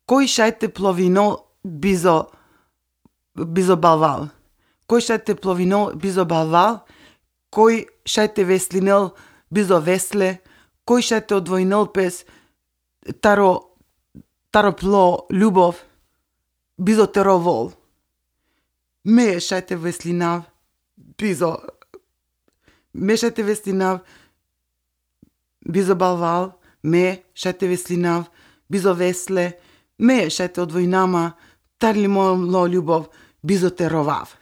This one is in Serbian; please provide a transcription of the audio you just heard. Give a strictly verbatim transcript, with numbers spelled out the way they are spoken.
Кој шајте пловино бизо бизо балвал. Кој шајте пловино бизо балвал, кој шајте веслинел бизо весле, кој шајте одвојнел пес таро таро пло љубов бизо теровол. Ме шајте веслинав бизо ме шајте веслинав бизо балвал, ме шајте веслинав бизо весле, ме шајте одвојнама тарли моло љубов бизо теровав.